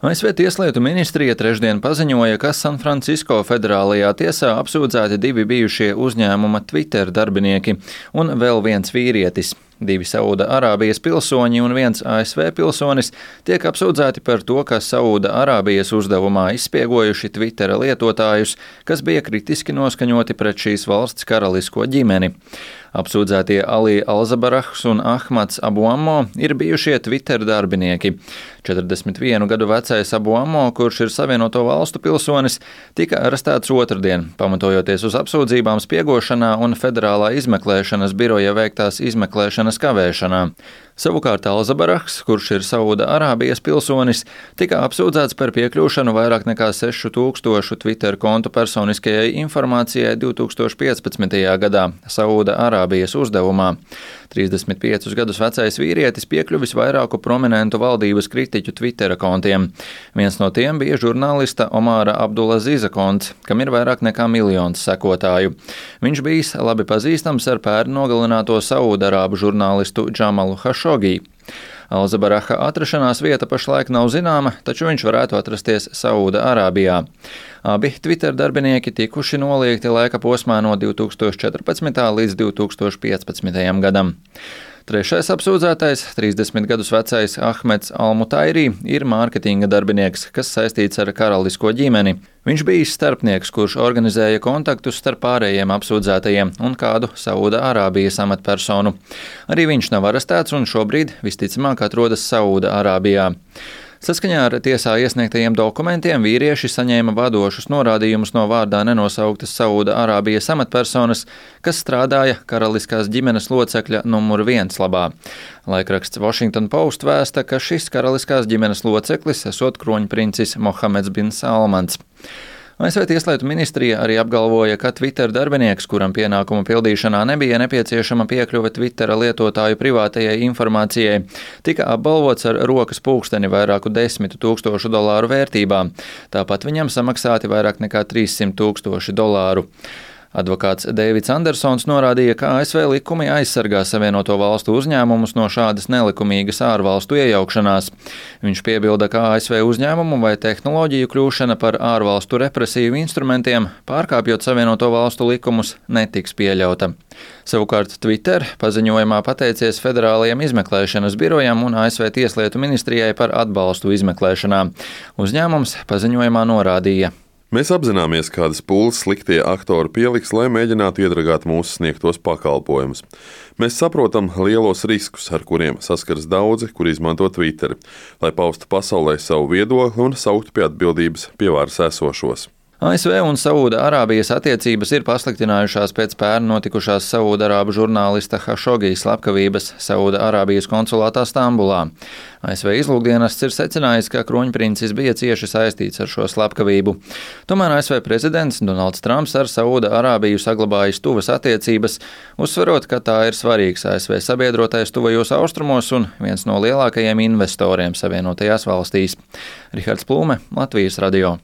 ASV Tieslietu ministrija trešdien paziņoja, ka Sanfrancisko federālajā tiesā apsūdzēti 2 bijušie uzņēmuma Twitter darbinieki un vēl viens vīrietis. 2 Sauda Arābijas pilsoņi un 1 ASV pilsonis tiek apsūdzēti par to, ka Sauda Arābijas uzdevumā izspiegojuši Twittera lietotājus, kas bija kritiski noskaņoti pret šīs valsts karalisko ģimeni. Apsūdzētie Ali Alzabarahs un Ahmads Abu Ammo ir bijušie Twitter darbinieki. 41 gadu vecais Abu Ammo, kurš ir Savienoto Valstu pilsonis, tika arestēts otrdien, pamatojoties uz apsūdzībām spiegošanā un federālā izmeklēšanas biroja veiktās izmeklēšanas kavēšanā. Savukārt Alzabarahs, kurš ir Sauda Arābijas pilsonis, tika apsūdzēts par piekļūšanu vairāk nekā 6000 Twitter kontu personiskajai informācijai 2015. gadā Sauda Arābijas uzdevumā. 35 gadus vecais vīrietis piekļuvis vairāku prominentu valdības kritiķu Twittera kontiem. Viens no tiem bija žurnālista Omāra Abdulazīza konts, kam ir vairāk nekā 1 miljons sekotāju. Viņš bijis labi pazīstams ar pērn nogalināto Saudarābu žurnālistu Džamalu Hašogī. Alzabaraha atrašanās vieta pašlaik nav zināma, taču viņš varētu atrasties Sauda Arābijā. Abi Twitter darbinieki tikuši noliegti laika posmā no 2014. līdz 2015. gadam. Trešais apsūdzētais, 30 gadus vecais Ahmeds Almutairī, ir mārketinga darbinieks, kas saistīts ar karalisko ģimeni. Viņš bija starpnieks, kurš organizēja kontaktus starp pārējiem apsūdzētajiem un kādu Sauda Arābijas amatpersonu. Arī viņš nav arestēts un šobrīd visticamāk atrodas Sauda Arābijā. Saskaņā ar tiesā iesniegtajiem dokumentiem vīrieši saņēma vadošus norādījumus no vārdā nenosauktas Sauda Arābijas amatpersonas, kas strādāja karaliskās ģimenes locekļa numur 1 labā. Laikraksts Washington Post vēsta, ka šis karaliskās ģimenes loceklis esot kroņprincis Mohameds bin Salmans. ASV Tieslietu ministrija arī apgalvoja, ka Twitter darbinieks, kuram pienākumu pildīšanā nebija nepieciešama piekļuve Twittera lietotāju privātajai informācijai, tika apbalvots ar rokas pulksteni vairāku $10 000 vērtībā. Tāpat viņam samaksāti vairāk nekā $300 000. Advokāts Deivids Andersons norādīja, ka ASV likumi aizsargā Savienoto Valstu uzņēmumus no šādas nelikumīgas ārvalstu iejaukšanās. Viņš piebilda, ka ASV uzņēmumu vai tehnoloģiju kļūšana par ārvalstu represīvu instrumentiem, pārkāpjot Savienoto Valstu likumus, netiks pieļauta. Savukārt Twitter paziņojumā pateicies federālajiem izmeklēšanas birojam un ASV Tieslietu ministrijai par atbalstu izmeklēšanā. Uzņēmums paziņojumā norādīja: Mēs apzināmies, kādas pūles sliktie aktori pieliks, lai mēģinātu iedragāt mūsu sniegtos pakalpojumus. Mēs saprotam lielos riskus, ar kuriem saskaras daudzi, kuri izmanto Twitter, lai paustu pasaulē savu viedokli un sauktu pie atbildības pie varas esošos. ASV un Sauda Arābijas attiecības ir pasliktinājušās pēc pērn notikušās Saudarābu žurnālista Hašogī slepkavības Sauda Arābijas konsulātā Stambulā. ASV izlūkdienests ir secinājis, ka kroņprincis bija cieši saistīts ar šo slepkavību. Tomēr ASV prezidents Donalds Trumps ar Sauda Arābiju saglabājis tuvas attiecības, uzsverot, ka tā ir svarīgs ASV sabiedrotais tuvajos austrumos un viens no lielākajiem investoriem Savienotajās valstīs. Rihards Plūme, Latvijas radio.